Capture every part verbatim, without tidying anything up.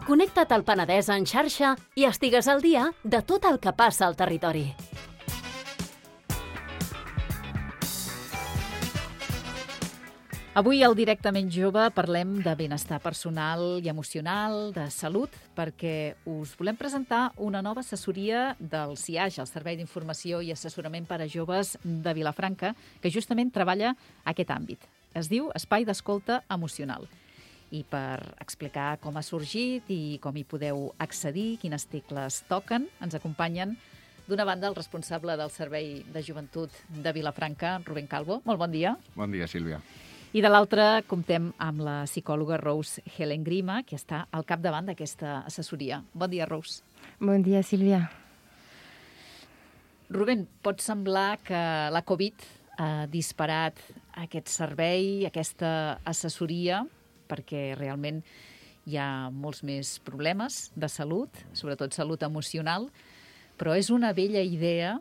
Connecta't al Penedès en xarxa i estigues al dia de tot el que passa al territori. Avui al Directament Jove parlem de benestar personal i emocional, de salut, perquè us volem presentar una nova assessoria del C I A X, el Servei d'Informació i Assessorament per a Joves de Vilafranca, que justament treballa aquest àmbit. Es diu Espai d'Escolta Emocional. I per explicar com ha sorgit i com hi podeu accedir, quines tecles toquen, ens acompanyen d'una banda el responsable del Servei de Joventut de Vilafranca, Rubén Calvo. Molt bon dia. Bon dia, Sílvia. I de l'altra comptem amb la psicòloga Rose Helen Grima, que està al capdavant d'aquesta assessoria. Bon dia, Rose. Bon dia, Sílvia. Rubén, pot semblar que la Covid ha disparat aquest servei, aquesta assessoria, perquè realment hi ha molts més problemes de salut, sobretot salut emocional, però és una vella idea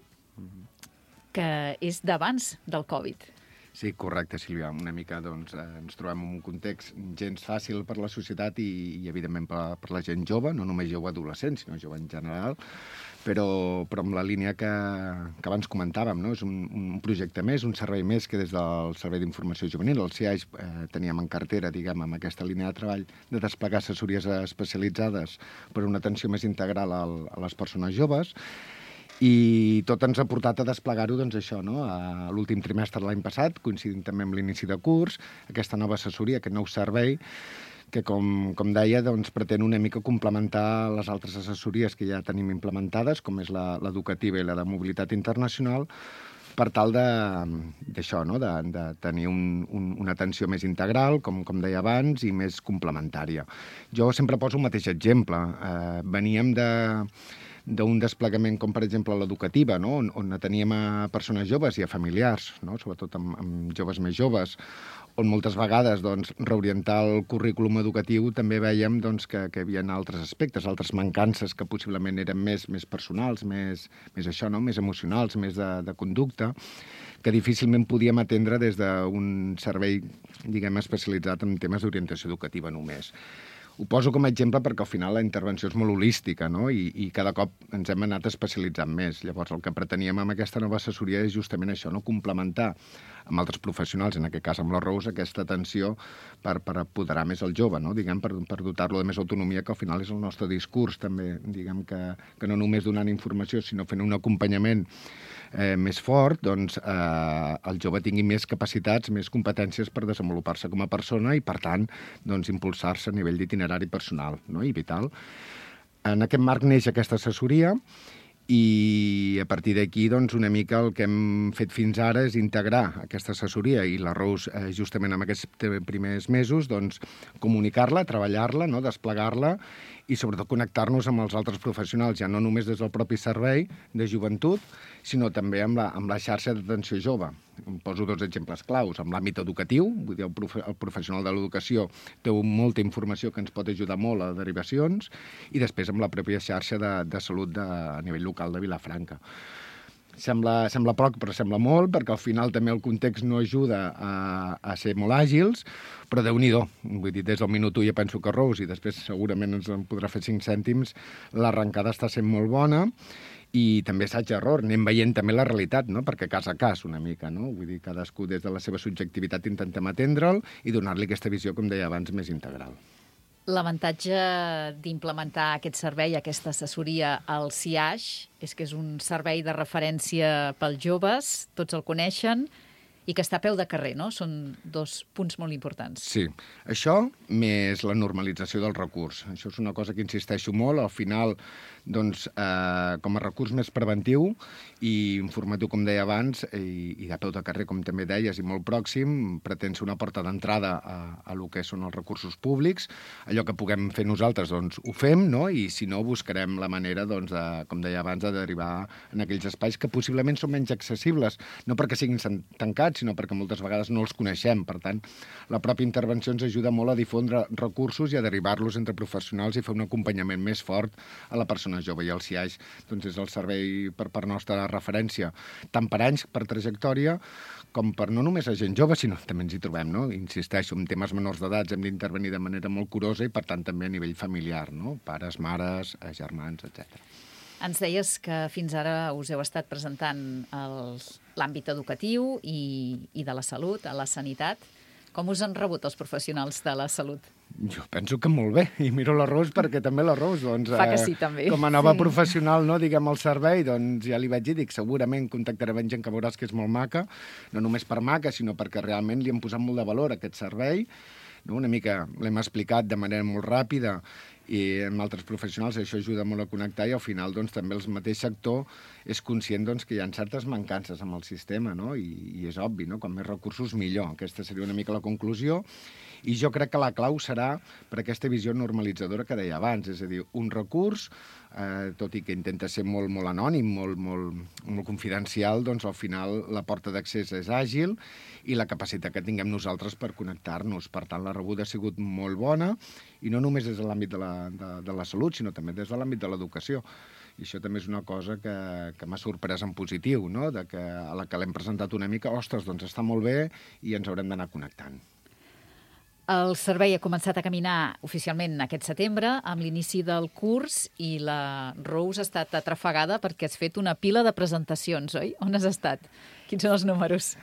que és d'abans del Covid. Sí, correcte, Sílvia. Una mica doncs, eh, ens trobem en un context gens fàcil per la societat i, i evidentment, per, per la gent jove, no només jove adolescent, sinó jove en general, però, però amb la línia que, que abans comentàvem, no? És un, un projecte més, un servei més que des del Servei d'Informació Juvenil, el C I A X, eh, teníem en cartera, diguem, amb aquesta línia de treball de desplegar assessories especialitzades per una atenció més integral al, a les persones joves. I tot ens ha portat a desplegar-ho, doncs això, no? A l'últim trimestre de l'any passat, coincidint també amb l'inici de curs, aquesta nova assessoria, aquest nou servei, que com, com deia, doncs, pretén una mica complementar les altres assessories que ja tenim implementades, com és l'educativa i la de mobilitat internacional, per tal d'això, no? de, de tenir un, un, una atenció més integral, com, com deia abans, i més complementària. Jo sempre poso el mateix exemple. Eh, veníem de... d'un desplegament com, per exemple, l'educativa, no? on, on teníem a persones joves i a familiars, no? Sobretot amb, amb joves més joves, on moltes vegades doncs, reorientar el currículum educatiu també veiem doncs, que, que hi havia altres aspectes, altres mancances que possiblement eren més, més personals, més, més això, no? Més emocionals, més de, de conducta, que difícilment podíem atendre des d'un servei, diguem, especialitzat en temes d'orientació educativa només. Ho poso com a exemple perquè al final la intervenció és molt holística, no? I, i cada cop ens hem anat especialitzant més. Llavors el que preteníem amb aquesta nova assessoria és justament això, no? Complementar amb altres professionals, en aquest cas amb la Rose, aquesta atenció per, per apoderar més el jove, no? Diguem, per, per dotar-lo de més autonomia, que al final és el nostre discurs també, diguem, que, que no només donant informació, sinó fent un acompanyament eh, més fort, doncs eh, el jove tingui més capacitats, més competències per desenvolupar-se com a persona i, per tant, doncs, impulsar-se a nivell d'itinerari personal, no? I vital. En aquest marc neix aquesta assessoria i a partir d'aquí, doncs, una mica el que hem fet fins ara és integrar aquesta assessoria i la Rose, eh, justament en aquests primers mesos, doncs, comunicar-la, treballar-la, no? Desplegar-la i sobretot connectar-nos amb els altres professionals, ja no només des del propi servei de joventut, sinó també amb la, amb la xarxa d'atenció jove. Em poso dos exemples claus. Amb l'àmbit educatiu, vull dir, el, profe el professional de l'educació té molta informació que ens pot ajudar molt a derivacions, i després amb la pròpia xarxa de, de salut de, a nivell local de Vilafranca. Sembla, sembla poc, però sembla molt, perquè al final també el context no ajuda a, a ser molt àgils, però Déu-n'hi-do. Vull dir, des del minut u ja penso que Rose, i després segurament ens en podrà fer cinc cèntims, l'arrencada està sent molt bona, i també assaig-error, anem veient també la realitat, no? Perquè cas a cas una mica, no? Vull dir, cadascú des de la seva subjectivitat intentem atendre'l i donar-li aquesta visió, com deia abans, més integral. L'avantatge d'implementar aquest servei, aquesta assessoria al C I A X, és que és un servei de referència pels joves, tots el coneixen, i que està a peu de carrer, no? Són dos punts molt importants. Sí. Això més la normalització del recurs. Això és una cosa que insisteixo molt. Al final, doncs, eh, com a recurs més preventiu i informatiu, com deia abans, i, i a peu de carrer, com també deies, i molt pròxim, pretén ser una porta d'entrada a, a lo que són els recursos públics. Allò que puguem fer nosaltres, doncs, ho fem, no? I si no, buscarem la manera, doncs, de, com deia abans, de derivar en aquells espais que possiblement són menys accessibles, no perquè siguin tancats, necessitats, sinó perquè moltes vegades no els coneixem. Per tant, la pròpia intervenció ens ajuda molt a difondre recursos i a derivar-los entre professionals i fer un acompanyament més fort a la persona jove. I el C I A X doncs, és el servei per part nostra de referència, tant per anys, per trajectòria, com per no només a gent jove, sinó també ens hi trobem, no? Insisteixo, en temes menors d'edats hem d'intervenir de manera molt curosa i, per tant, també a nivell familiar, no? Pares, mares, germans, etcètera. Ens deies que fins ara us heu estat presentant l'àmbit educatiu i, i de la salut, a la sanitat. Com us han rebut els professionals de la salut? Jo penso que molt bé, i miro la Ros perquè també la Ros, doncs, Fa que sí, també. com a nova sí. professional, no, diguem, al servei, doncs ja li vaig dir, dic, segurament contactaré amb gent que veuràs que és molt maca, no només per maca, sinó perquè realment li hem posat molt de valor a aquest servei, no? Una mica l'hem explicat de manera molt ràpida i amb altres professionals això ajuda molt a connectar i al final doncs, també el mateix sector és conscient doncs, que hi ha certes mancances amb el sistema, no? I, i és obvi, no? Com més recursos millor. Aquesta seria una mica la conclusió. I jo crec que la clau serà per aquesta visió normalitzadora que deia abans, és a dir, un recurs, eh, tot i que intenta ser molt, molt anònim, molt, molt, molt confidencial, doncs al final la porta d'accés és àgil i la capacitat que tinguem nosaltres per connectar-nos. Per tant, la rebuda ha sigut molt bona i no només des de l'àmbit de, la, de, de la salut, sinó també des de l'àmbit de l'educació. I això també és una cosa que, que m'ha sorprès en positiu, no? De que a la que l'hem presentat una mica, ostres, doncs està molt bé i ens haurem d'anar connectant. El servei ha començat a caminar oficialment aquest setembre amb l'inici del curs i la Rose ha estat atrafegada perquè has fet una pila de presentacions, oi? On has estat? Quins són els números?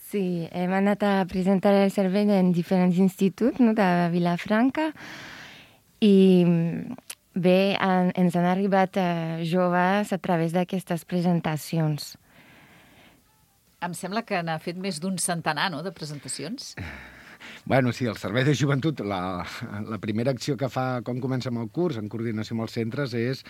Sí, hem anat a presentar el servei en diferents instituts, no, de Vilafranca i bé, en, ens han arribat eh, joves a través d'aquestes presentacions. Em sembla que n'ha fet més d'un centenar, no?, de presentacions. Bueno, sí, el Servei de Joventut, la, la primera acció que fa quan comencem el curs, en coordinació amb els centres, és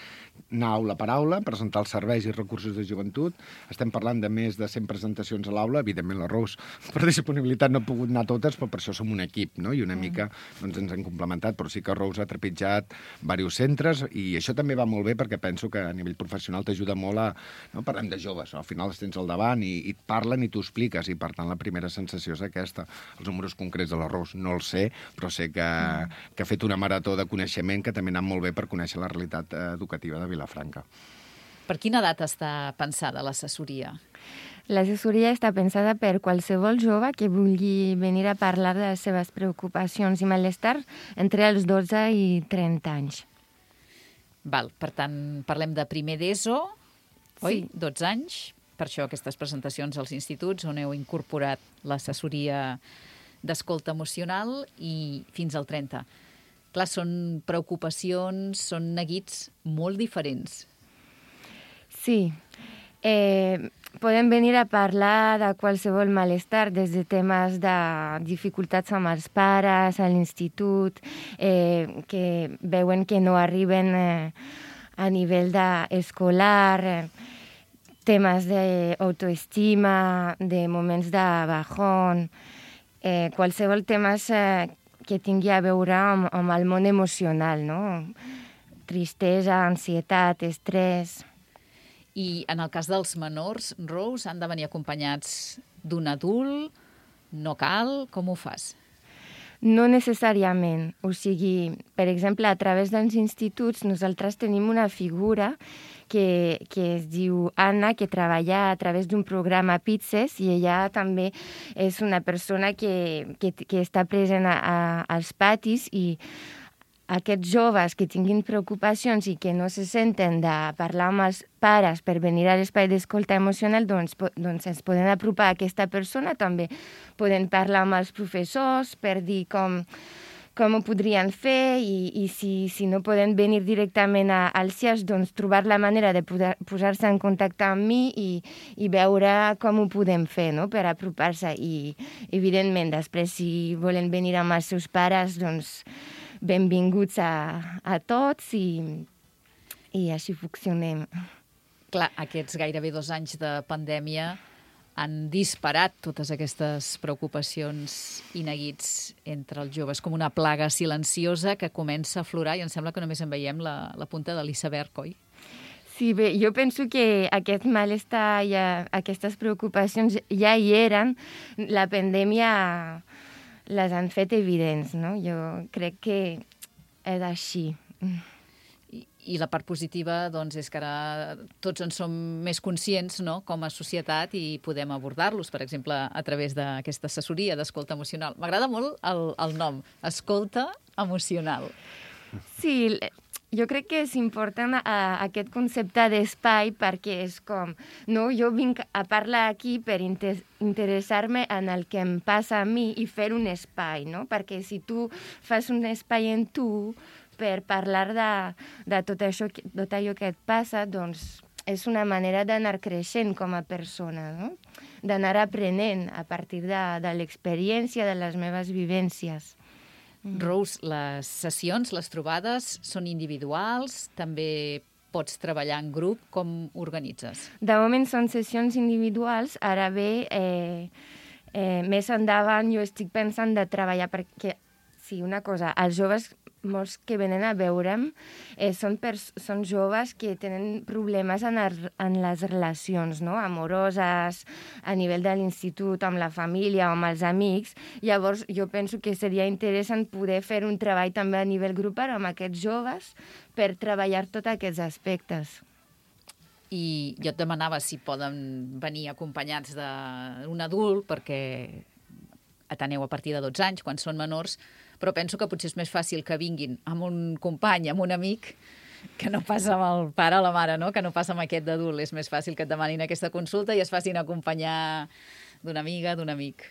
anar aula per aula, presentar els serveis i recursos de joventut. Estem parlant de més de cent presentacions a l'aula. Evidentment, la Rose, per disponibilitat, no ha pogut anar totes, però per això som un equip, no? I una mm. mica doncs, ens hem complementat, però sí que Rose ha trepitjat diversos centres, i això també va molt bé perquè penso que a nivell professional t'ajuda molt a... No? Parlem de joves, no? Al final els tens al davant i, i et parlen i t'ho expliques, i per tant la primera sensació és aquesta. Els números concrets de la Rose no els sé, però sé que, mm. que ha fet una marató de coneixement que també ha anat molt bé per conèixer la realitat educativa de Vilafranca. Per quina edat està pensada l'assessoria? L'assessoria està pensada per qualsevol jove que vulgui venir a parlar de les seves preocupacions i malestar entre els dotze i trenta anys. Val, per tant, parlem de primer d'ESO, oi? Sí. dotze anys. Per això aquestes presentacions als instituts on heu incorporat l'assessoria d'escolta emocional i fins al trenta. Clar, són preocupacions, són neguits molt diferents. Sí. Eh, podem venir a parlar de qualsevol malestar, des de temes de dificultats amb els pares, a l'institut, eh, que veuen que no arriben eh, a nivell escolar, eh, temes d'autoestima, de moments de bajón, Eh, qualsevol temes eh, que tingui a veure amb, amb el món emocional, no? Tristesa, ansietat, estrès. I en el cas dels menors, Rose, han de venir acompanyats d'un adult? No cal? Com ho fas? No necessàriament. O sigui, per exemple, a través dels instituts nosaltres tenim una figura que, que es diu Anna, que treballa a través d'un programa Pizzes, i ella també és una persona que, que, que està present a, a, als patis, i aquests joves que tinguin preocupacions i que no se senten de parlar amb els pares per venir a l'espai d'escolta emocional, doncs, doncs ens poden apropar a aquesta persona. També poden parlar amb els professors per dir com, com ho podrien fer, i, i si, si no poden venir directament a, als C I A X, doncs trobar la manera de posar-se en contacte amb mi i, i veure com ho podem fer, no?, per apropar-se. I, evidentment, després, si volen venir amb els seus pares, doncs benvinguts a, a tots, i, i així funcionem. Clar, aquests gairebé dos anys de pandèmia han disparat totes aquestes preocupacions i neguits entre els joves, com una plaga silenciosa que comença a aflorar, i em sembla que només en veiem la, la punta de l'iceberg, oi? Sí, bé, jo penso que aquest malestar i aquestes preocupacions ja hi eren. La pandèmia les han fet evidents, no? Jo crec que és així. I, i la part positiva doncs, és que ara tots en som més conscients, no?, com a societat, i podem abordar-los, per exemple, a través d'aquesta assessoria d'escolta emocional. M'agrada molt el, el nom, escolta emocional. Sí, jo crec que és important a, aquest concepte d'espai perquè és com, no, jo vinc a parlar aquí per inter interessar-me en el que em passa a mi i fer un espai, no? Perquè si tu fas un espai en tu per parlar de, de tot, això, tot allò que et passa, doncs és una manera d'anar creixent com a persona, no? D'anar aprenent a partir de, de l'experiència, de les meves vivències. Rose, les sessions, les trobades, són individuals? També pots treballar en grup? Com organitzes? De moment són sessions individuals. Ara bé, eh, eh, més endavant jo estic pensant de treballar perquè, sí, una cosa, els joves molts que venen a veure'm eh, són, són joves que tenen problemes en, el, en les relacions, no?, amoroses, a nivell de l'institut, amb la família o amb els amics. Llavors, jo penso que seria interessant poder fer un treball també a nivell grupal amb aquests joves per treballar tots aquests aspectes. I jo et demanava si poden venir acompanyats d'un adult, perquè ateneu a partir de dotze anys, quan són menors, però penso que potser és més fàcil que vinguin amb un company, amb un amic, que no passa amb el pare o la mare, no?, que no passa amb aquest d'adult. És més fàcil que et demanin aquesta consulta i es facin acompanyar d'una amiga, d'un amic.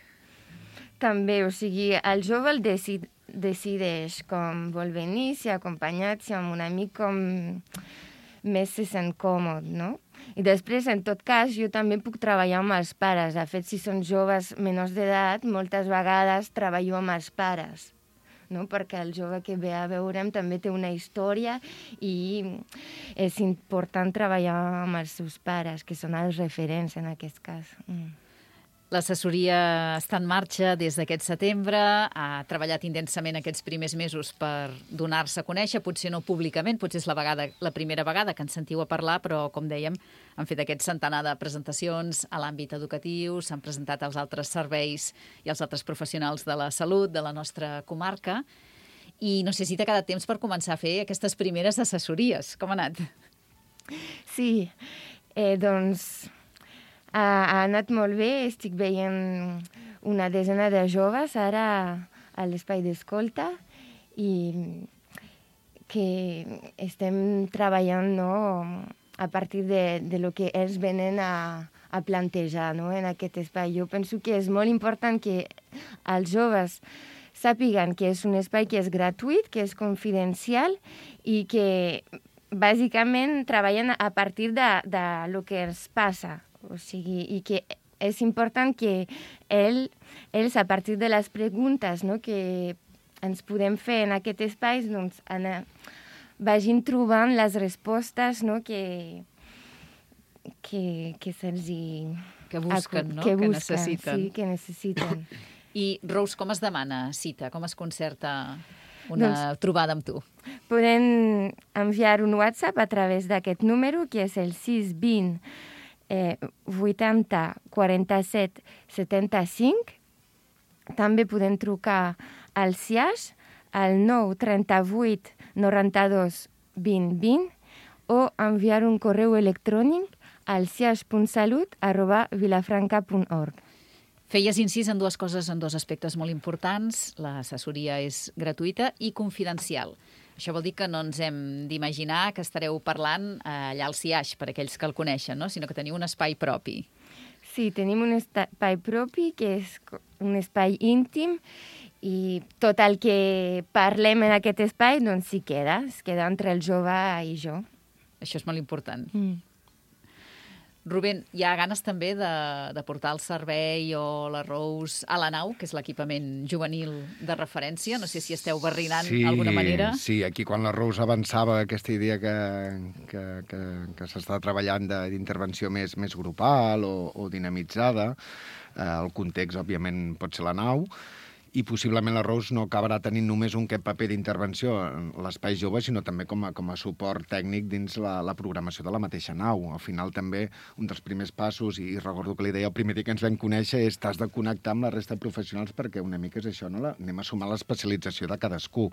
També, o sigui, el jove el decid, decideix com vol venir, si acompanyat, si amb un amic, com més se sent còmode, no? I després, en tot cas, jo també puc treballar amb els pares. De fet, si són joves menors d'edat, moltes vegades treballo amb els pares, no? Perquè el jove que ve a veure'm també té una història i és important treballar amb els seus pares, que són els referents en aquest cas. Mm. L'assessoria està en marxa des d'aquest setembre, ha treballat intensament aquests primers mesos per donar-se a conèixer, potser no públicament, potser és la, vegada, la primera vegada que ens sentiu a parlar, però, com dèiem, han fet aquest centenar de presentacions a l'àmbit educatiu, s'han presentat als altres serveis i als altres professionals de la salut de la nostra comarca, i no sé si t'ha quedat temps per començar a fer aquestes primeres assessories. Com ha anat? Sí, eh, doncs... Ha anat molt bé, estic veient una desena de joves ara a l'espai d'escolta i que estem treballant, no, a partir de, de lo que ells venen a, a plantejar, no, en aquest espai. Jo penso que és molt important que els joves sàpiguen que és un espai que és gratuït, que és confidencial i que bàsicament treballen a partir de, de lo que ens passa. O sigui, i que és important que ell, ells, a partir de les preguntes, no, que ens podem fer en aquest espai, doncs, anar, vagin trobant les respostes, no, que, que, que se'ls hi... Que busquen, no? Que, que busquen, necessiten. Sí, que necessiten. I, Rose, com es demana cita? Com es concerta una doncs, trobada amb tu? Podem enviar un WhatsApp a través d'aquest número, que és el sis vint Eh, vuitanta quaranta-set setanta-cinc. També podem trucar al C I A X al nou trenta-vuit noranta-dos vint vint o enviar un correu electrònic al ciax punt salut arroba vilafranca punt org. Feies incís en dues coses, en dos aspectes molt importants. L'assessoria és gratuïta i confidencial. Això vol dir que no ens hem d'imaginar que estareu parlant allà al C I A X, per aquells que el coneixen, no? Sinó que teniu un espai propi. Sí, tenim un espai propi, que és un espai íntim, i tot el que parlem en aquest espai doncs s'hi queda, es queda entre el jove i jo. Això és molt important. Mm. Rubén, hi ha ganes també de, de portar el servei o la Rose a la nau, que és l'equipament juvenil de referència? No sé si esteu barrinant sí, d'alguna manera. Sí, aquí quan la Rose avançava aquesta idea que, que, que, que s'està treballant d'intervenció més, més grupal o, o dinamitzada, eh, el context, òbviament, pot ser la nau, i possiblement la Rose no acabarà tenint només un paper d'intervenció en l'espai jove, sinó també com a, com a suport tècnic dins la, la programació de la mateixa nau. Al final també un dels primers passos, i recordo que li deia el primer dia que ens vam conèixer, és t'has de connectar amb la resta de professionals perquè una mica és això, no? La, anem a sumar l'especialització de cadascú.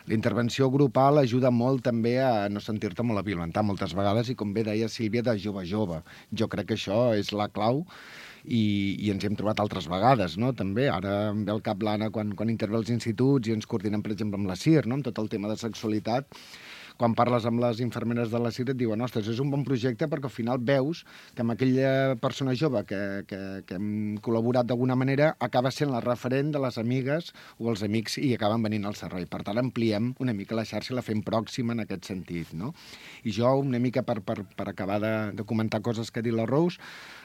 La intervenció grupal ajuda molt també a no sentir-te molt aviolentar moltes vegades i, com bé deia Sílvia, de jove a jove. Jo crec que això és la clau i, i ens hem trobat altres vegades, no? També, ara em ve al cap l'Anna quan, quan intervé als instituts i ens coordinem, per exemple, amb la C I R, no? Amb tot el tema de sexualitat. Quan parles amb les infermeres de la C I R et diuen, ostres, és un bon projecte perquè al final veus que amb aquella persona jove que, que, que hem col·laborat d'alguna manera acaba sent la referent de les amigues o els amics i acaben venint al servei. Per tant, ampliem una mica la xarxa i la fem pròxima en aquest sentit, no? I jo, una mica per, per, per acabar de, de comentar coses que ha dit la Rose,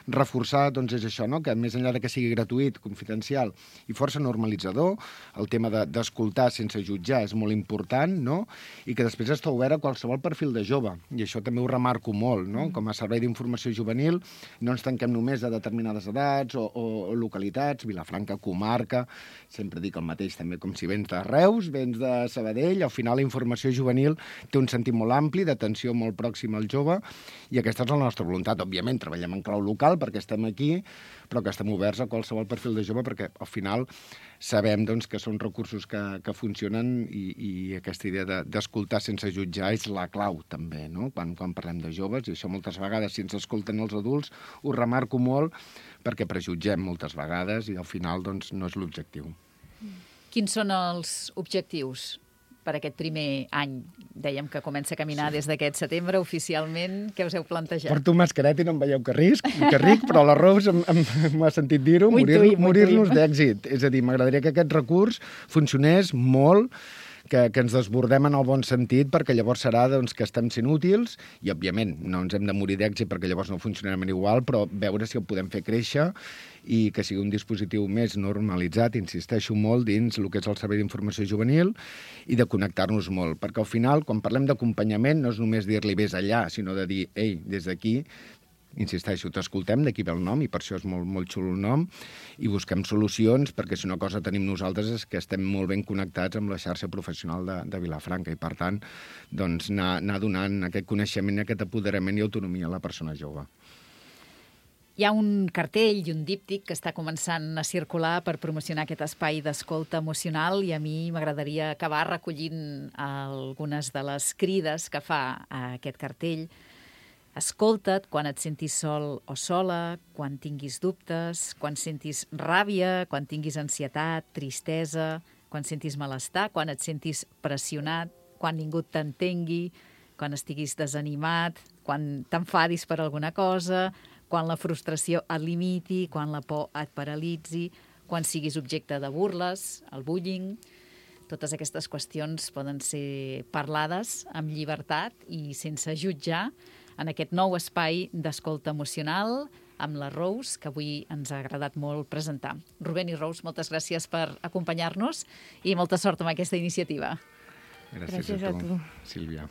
reforçar, doncs, és això, no? Que més enllà de que sigui gratuït, confidencial i força normalitzador, el tema d'escoltar de, sense jutjar és molt important, no? I que després està obert a qualsevol perfil de jove, i això també ho remarco molt, no? Com a servei d'informació juvenil no ens tanquem només a determinades edats o, o, o localitats, Vilafranca, comarca, sempre dic el mateix també, com si vens de Reus, vens de Sabadell, al final la informació juvenil té un sentit molt ampli, d'atenció molt pròxima al jove, i aquesta és la nostra voluntat. Òbviament, treballem en clau local perquè estem aquí, però que estem oberts a qualsevol perfil de jove perquè al final sabem, doncs, que són recursos que, que funcionen i, i aquesta idea d'escoltar de, sense jutjar és la clau també, no? Quan, quan parlem de joves, i això moltes vegades si ens escolten els adults ho remarco molt perquè prejutgem moltes vegades i al final, doncs, no és l'objectiu. Quins són els objectius per aquest primer any? Dèiem que comença a caminar sí. des d'aquest setembre, oficialment. Què us heu plantejat? Porto mascareta i no em veieu que risc, que ric, però la Rose m'ha sentit dir-ho, morir-nos morir d'èxit. És a dir, m'agradaria que aquest recurs funcionés molt, que, que ens desbordem en el bon sentit, perquè llavors serà, doncs, que estem sent útils i, òbviament, no ens hem de morir d'èxit perquè llavors no funcionarem igual, però veure si el podem fer créixer i que sigui un dispositiu més normalitzat, insisteixo molt, dins el que és el servei d'informació juvenil i de connectar-nos molt, perquè al final, quan parlem d'acompanyament, no és només dir-li vés allà, sinó de dir, ei, des d'aquí, insisteixo, t'escoltem, d'aquí ve el nom, i per això és molt, molt xulo el nom, i busquem solucions, perquè si una cosa tenim nosaltres és que estem molt ben connectats amb la xarxa professional de, de Vilafranca, i per tant, doncs, anar, anar donant aquest coneixement, aquest apoderament i autonomia a la persona jove. Hi ha un cartell i un díptic que està començant a circular per promocionar aquest espai d'escolta emocional i a mi m'agradaria acabar recollint algunes de les crides que fa aquest cartell. Escolta't quan et sentis sol o sola, quan tinguis dubtes, quan sentis ràbia, quan tinguis ansietat, tristesa, quan sentis malestar, quan et sentis pressionat, quan ningú t'entengui, quan estiguis desanimat, quan t'enfadis per alguna cosa, quan la frustració et limiti, quan la por et paralitzi, quan siguis objecte de burles, el bullying. Totes aquestes qüestions poden ser parlades amb llibertat i sense jutjar en aquest nou espai d'escolta emocional amb la Rose, que avui ens ha agradat molt presentar. Rubén i Rose, moltes gràcies per acompanyar-nos i molta sort amb aquesta iniciativa. Gràcies, gràcies a tu, a tu, Sílvia.